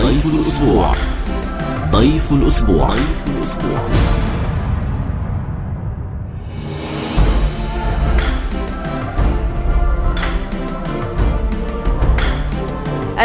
ضيف الأسبوع. ضيف الأسبوع.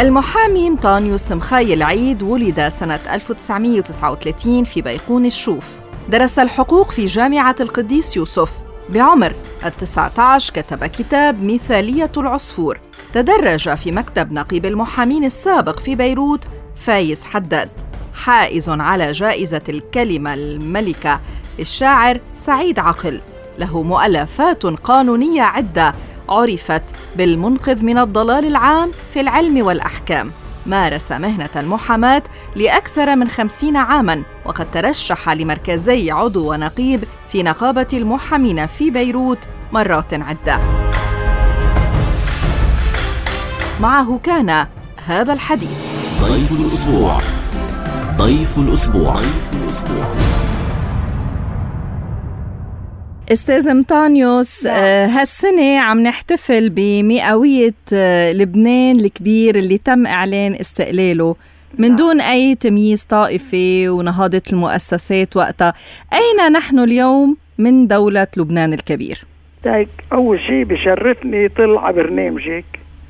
المحامي أنطونيوس مخايل عيد ولد سنة 1939 في بيقون الشوف. درس الحقوق في جامعة القديس يوسف. بعمر 19 كتب كتاب مثالية العصفور. تدرج في مكتب نقيب المحامين السابق في بيروت فايز حداد. حائز على جائزة الكلمة الملكة الشاعر سعيد عقل. له مؤلفات قانونية عدة عرفت بالمنقذ من الضلال العام في العلم والأحكام. مارس مهنة المحاماة لأكثر من 50 عاماً، وقد ترشح لمركزي عضو ونقيب في نقابة المحامين في بيروت مرات عدة. معه كان هذا الحديث. ضيف الأسبوع. أستاذ أنطونيوس، هالسنة عم نحتفل بمئوية لبنان الكبير اللي تم إعلان استقلاله من دون أي تمييز طائفي ونهضة المؤسسات وقتها. أين نحن اليوم من دولة لبنان الكبير؟ أول شيء بشرفني طلع برنامجك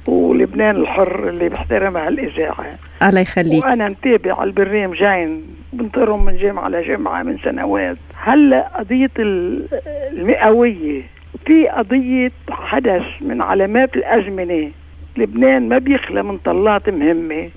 ولبنان الحر اللي بحترمها الإذاعة. الله يخليك. وأنا متابع البرنامجين بنطرهم من جمعة لجمعة من سنوات. هلأ قضية المئوية في قضية حدث من علامات الأزمنة. لبنان ما بيخلى من طلات مهمة.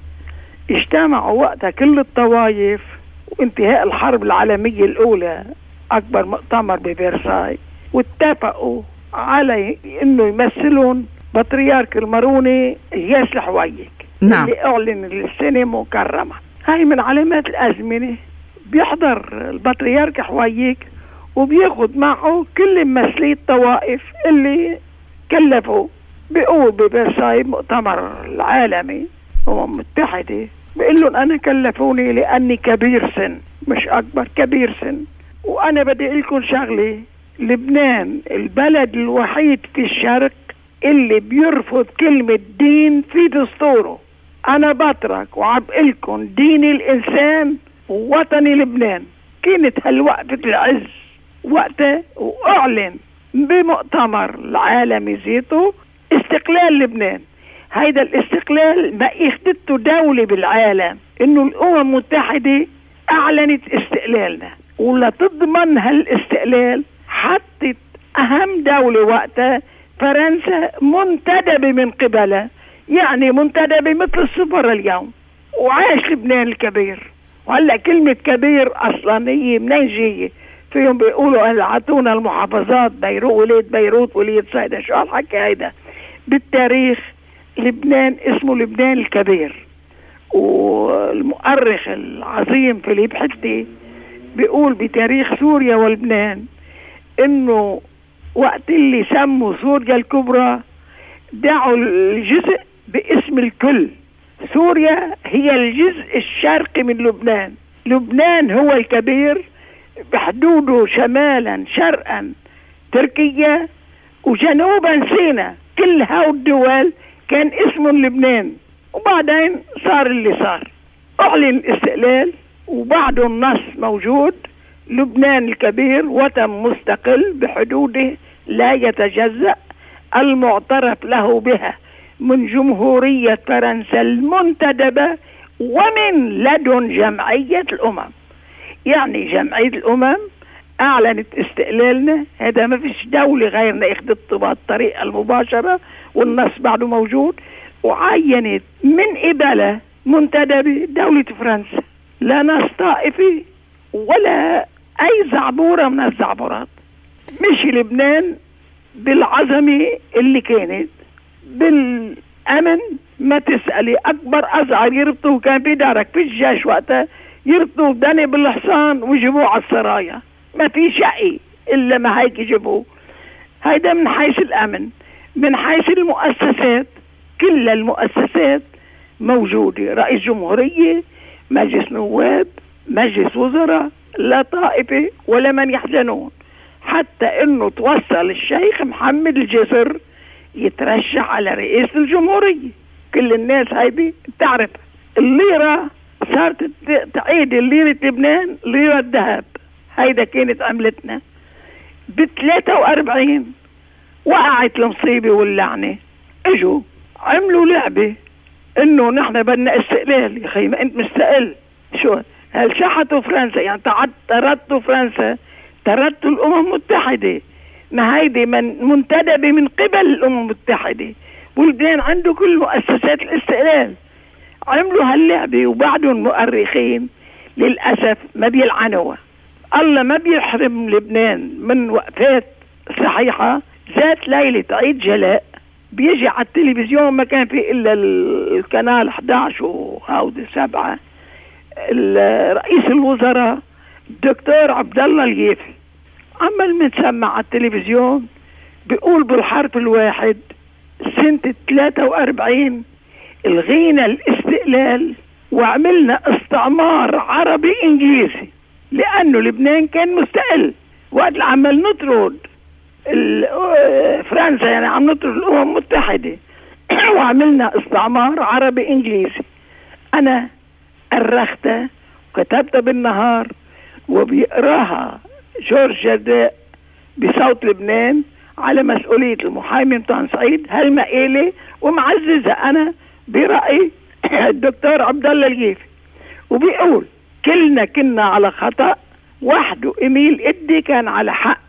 اجتمعوا وقتها كل الطوائف وانتهاء الحرب العالمية الأولى أكبر مؤتمر بفرساي، واتفقوا على إنه يمثلون بطريرك الماروني إلياس الحويك. نعم. اللي أعلن السنة مكرمة. هاي من علامات الأزمنة. بيحضر البطريرك حويك وبياخد معه كل ممثلي الطوائف اللي كلفوا. بيقول بفرساي مؤتمر العالمي المتحدة، بيقول لهم أنا كلفوني لأني كبير سن، مش أكبر، كبير سن، وأنا بدي لكم شغلة. لبنان البلد الوحيد في الشرق اللي بيرفض كلمة دين في دستوره. أنا بترك وعبقلكم ديني الإنسان ووطني لبنان. كانت هالوقفة العز وقتها، وأعلن بمؤتمر العالمي زيتو استقلال لبنان. هيدا الاستقلال ما اخدته دولة بالعالم، إنه الأمم المتحدة أعلنت استقلالنا، ولا تضمن هالاستقلال حطت أهم دولة وقتها فرنسا منتدبة من قبلها، يعني منتدبة مثل السفر اليوم. وعاش لبنان الكبير. وهلا كلمة كبير أصلا هي منين جاية؟ فيهم بيقولوا عطونا المحافظات، بيروت وليد صيدا. شو هالحكي هيدا؟ بالتاريخ لبنان اسمه لبنان الكبير. والمؤرخ العظيم فيليب حتي بيقول بتاريخ سوريا ولبنان إنه وقت اللي سموا سوريا الكبرى دعوا الجزء باسم الكل. سوريا هي الجزء الشرقي من لبنان. لبنان هو الكبير بحدوده شمالا شرقا تركيا وجنوبا سيناء. كل هاو الدول كان اسم لبنان. وبعدين صار اللي صار. أعلن الاستقلال وبعده النص موجود. لبنان الكبير وطن مستقل بحدوده لا يتجزأ، المعترف له بها من جمهورية فرنسا المنتدبة ومن لدن جمعية الأمم. يعني جمعية الأمم أعلنت استقلالنا. هذا ما فيش دولة غيرنا اخذت بالطريقة المباشرة، والنص بعده موجود. وعينت من قبلها منتدبة دولة فرنسا، لا نص طائفي ولا أي زعبورة من الزعبورات. مش لبنان بالعظمة اللي كانت، بالأمن ما تسألي. أكبر أزعر يربطوه كان بدارك في الجيش وقتها، يربطوه دني بالحصان ويجيبوه على السرايا. ما في شقي إلا ما هيك يجيبوه. هيدا من حيث الأمن. من حيث المؤسسات، كل المؤسسات موجودة. رئيس جمهورية، مجلس نواب، مجلس وزراء، لا طائفة ولا من يحزنون. حتى انه توصل الشيخ محمد الجسر يترشح على رئيس الجمهورية. كل الناس هايدي بتعرف. الليرة صارت تعيد ليرة لبنان ليرة ذهب. هيدا كانت عملتنا. ب43 وقعت المصيبة واللعنة، اجوا عملوا لعبة انه نحن بدنا استقلال. يا خي ما انت مستقل، شو هل شحتوا فرنسا؟ يعني طردتوا فرنسا، طردتوا الامم المتحدة، ما هيدي منتدبة من قبل الامم المتحدة، ولبنان عنده كل مؤسسات الاستقلال. عملوا هاللعبة وبعدهم مؤرخين للأسف ما بيلعنوها. الله ما بيحرم لبنان من وقفات صحيحة. ذات ليلة عيد جلاء بيجي على التلفزيون، ما كان في إلا القناة 11 وهاودي 7، رئيس الوزراء الدكتور عبد الله اليافي عمال متسمع على التلفزيون بيقول بالحرف الواحد سنة 43 الغينا الاستقلال وعملنا استعمار عربي انجليزي، لانه لبنان كان مستقل. وقت عمال نطرد فرنسا، يعني عم نطرد الامم المتحدة وعملنا استعمار عربي انجليزي. انا أرختها وكتبتها بالنهار وبيقراها جورج جرداء بصوت لبنان على مسؤولية المحامي مطعن سعيد هالمقالة، ومعززة أنا برأي الدكتور عبد الله اليافي، وبيقول كلنا كنا على خطأ، وحده إميل إدي كان على حق.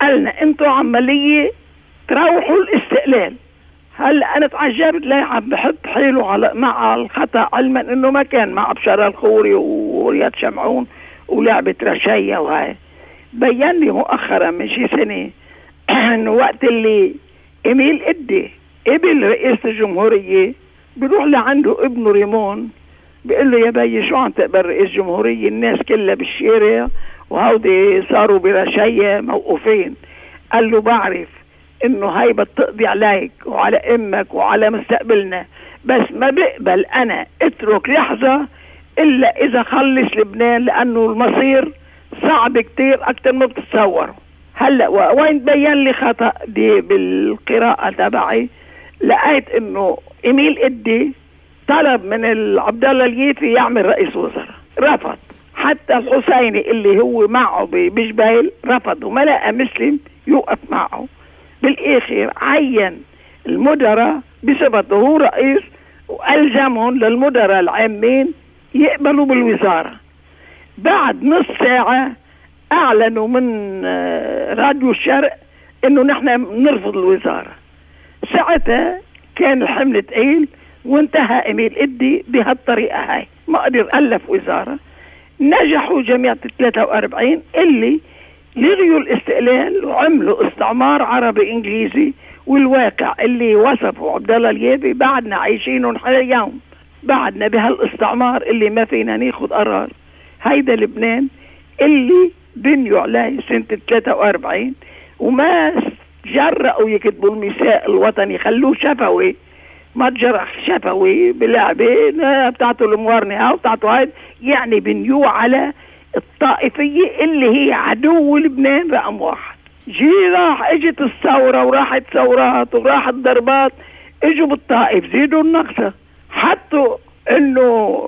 قالنا انتوا عملية تروحوا الاستقلال. هلا أنا تعجبت ليه عم بحط حيله مع الخطأ، علما إنه ما كان مع بشار الخوري ورياض شمعون ولعبة رشاية. وهاي بيّن لي مؤخرا من شي سنة إنه وقت اللي إميل إدي ابن رئيس الجمهورية بيروح لعنده ابنه ريمون بيقول له يا بي شو عم تقبل رئيس جمهورية؟ الناس كلها بالشارع وهودي صاروا برشاية موقوفين. قال له بعرف انه هاي بتقضي عليك وعلى امك وعلى مستقبلنا، بس ما بقبل انا اترك لحظة الا اذا خلص لبنان، لانه المصير صعب كتير اكتر ما بتتصوروا. هلا وين بيّن لي خطأ دي بالقراءة تبعي، لقيت انه إميل إدي طلب من عبد الله اليافي يعمل رئيس وزراء، رفض. حتى الحسيني اللي هو معه بجبيل رفض وما لقى مسلم يوقف معه. بالاخر عين المدراء بصفته هو رئيس والزمهم للمدراء العامين يقبلوا بالوزارة. بعد نص ساعة اعلنوا من راديو الشرق انه نحن نرفض الوزارة. ساعتها كان الحمل تقيل وانتهى إميل إدي بهالطريقة هاي، ما قدر ألف وزارة. نجحوا جميع 43 اللي لغيوا الاستقلال وعملوا استعمار عربي انجليزي، والواقع اللي وصفه عبد الله اليافي بعدنا عايشينه اليوم، بعدنا بهالاستعمار اللي ما فينا ناخذ قرار. هيدا لبنان اللي بنيوا عليه سنة 43 وما جرأوا يكتبوا الميثاق الوطني، خلوه شفوي، ما تجرح شفوي بلعبة بتاعته الموارنة بتاعته هاي، يعني بنيوه على الطائفية اللي هي عدو لبنان رقم واحد. اجت الثورة وراحت ثورات وراحت ضربات، اجوا بالطائف زيدوا النقصة، حطوا انه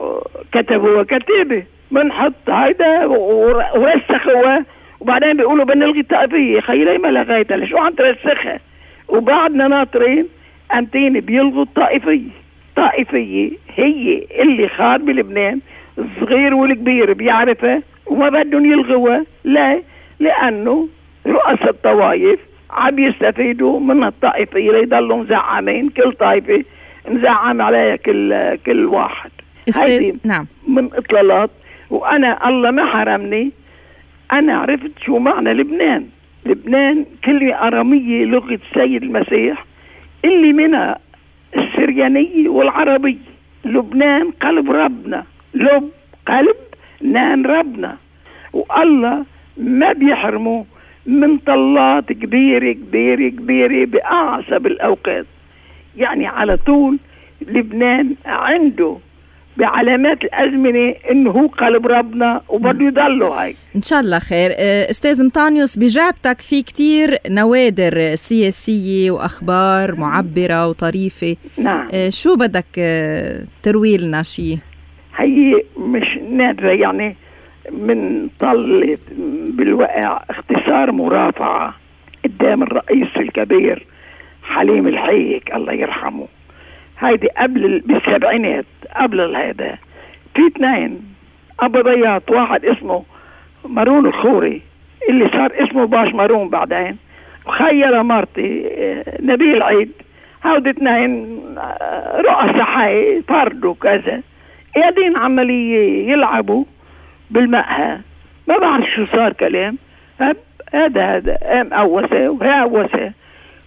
كتبوا كتيبة بنحط هيدا ورسخوها، وبعدين بيقولوا بنلغي الطائفية. خيلي ما لغيتها، لشو عم ترسخها؟ وبعدنا ناطرين أنتين بيلغوا الطائفية. الطائفية هي اللي خار بلبنان، الصغير والكبير بيعرفها وما بدهم يلغوها. لا، لأنه رؤساء الطوائف عم يستفيدوا من الطائفية ليضلوا مزعمين، كل طائفة مزعم عليها كل واحد. هيدي نعم من إطلالات. وأنا الله ما حرمني، أنا عرفت شو معنى لبنان. لبنان كلمة أرامية لغة السيد المسيح اللي منها السريانية والعربية. لبنان قلب ربنا، لب قلب نان ربنا، والله ما بيحرموا من طلات كبيرة كبيرة كبيرة بأعصب الأوقات. يعني على طول لبنان عنده بعلامات الأزمنة إنه هو قلب ربنا وبده يضلوا هاي إن شاء الله خير. أستاذ مطانيوس، بجعبتك في كتير نوادر سياسية وأخبار معبرة وطريفة. نعم. شو بدك تروي لنا شي؟ هي مش نادرة، يعني من طلت بالوقع اختصار مرافعة قدام الرئيس الكبير حليم الحيك الله يرحمه. هيدي قبل بالسبعينات، قبل هذا في اثنين أبضيات، واحد اسمه مارون الخوري اللي صار اسمه باش مارون بعدين، وخير مرتي نبيل عيد. هودي اثنين رؤساء حي فرد وكذا قاعدين عملية يلعبوا بالمقهى، ما بعرف شو صار كلام. هذا قام قوسه وهي قوسه،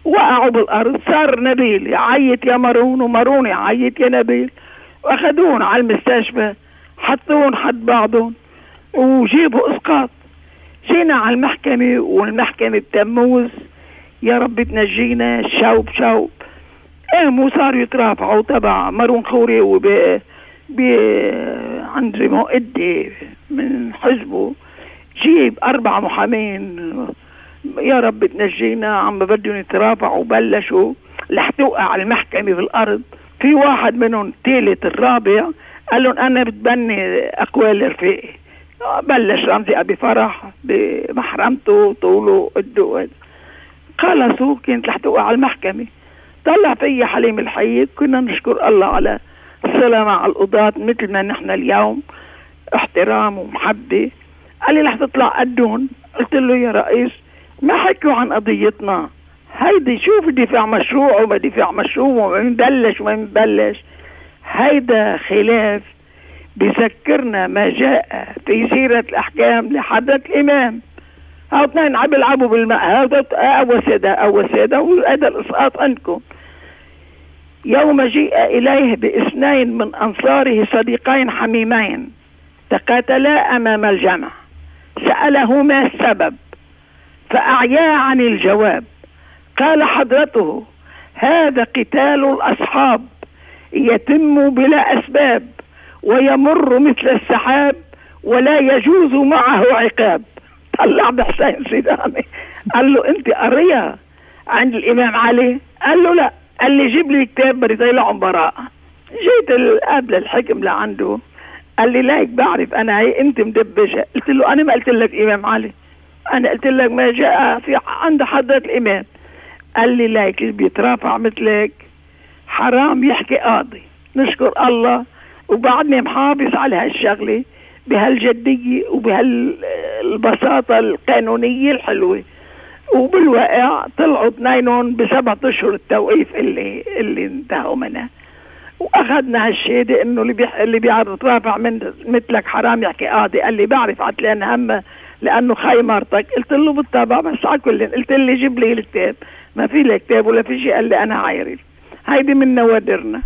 وقعوا بالأرض. صار نبيل يعيط يا مارون ومارون يعيط يا نبيل، واخدون على المستشفى، حطون حد بعضهم وجيبوا اسقاط. جينا على المحكمة، والمحكمة بتموز يا رب تنجينا شوب شوب. قاموا صاروا يترافعوا تبع مارون خوري عند مؤدي من حزبه، جيب 4 محامين يا رب تنجينا، عم بدهم يترافعوا. وبلشوا لحتوقع على المحكمة بالأرض. في واحد منهم الثالث الرابع قال لهم أنا بتبني أقوال رفيقي. بلش رمزي أبي فرح بمحرمته طوله قده، خلصوا كانت لحتوقع على المحكمة. طلع في حليم الحيك، كنا نشكر الله على الصلة مع القضاة مثل ما نحن اليوم، احترام ومحبة. قال لي رح تطلع قدون. قلت له يا رئيس ما حكوا عن قضيتنا، هيدي شوف دفاع مشروع وما دفاع مشروع وما مبلش وما مبلش. هيدا خلاف بذكرنا ما جاء في سيرة الأحكام لحضرة الإمام. هاو اثنين عم يلعبوا بالماء، أول سادة وهذا الإسقاط عندكم. يوم جيء إليه باثنين من أنصاره صديقين حميمين تقاتلا أمام الجمع، سألهما السبب فأعيا عن الجواب. قال حضرته هذا قتال الأصحاب يتم بلا أسباب، ويمر مثل السحاب، ولا يجوز معه عقاب. طلع بحسين سيداني قال له انت قريها عند الإمام علي؟ قال له لا. قال لي جيب لي كتاب بدي طلعهم براءة. جيت قبل الحكم لعنده، قال لي لايك بعرف انا هي انت مدبجة. قلت له انا ما قلت لك إمام علي، انا قلت لك ما جاء في عند حضرة الإمام. قال لي لايك اللي بيترافع مثلك حرام يحكي قاضي. نشكر الله وبعدني محافظ على هالشغلة بهالجدية وبهالبساطة القانونية الحلوة. وبالواقع طلعوا اثنينهم ب7 أشهر التوقيف اللي انتهوا منها. واخذنا هالشهادة انه اللي بيترافع من مثلك حرام يحكي قاضي. قال لي بعرف عتلان همه لانه خاي مرتك. قلت له بالطبع، بس على كل قلت لي جيب لي الكتاب. ما في لي كتاب ولا في شيء. قال لي انا عايري. هيدي من نوادرنا.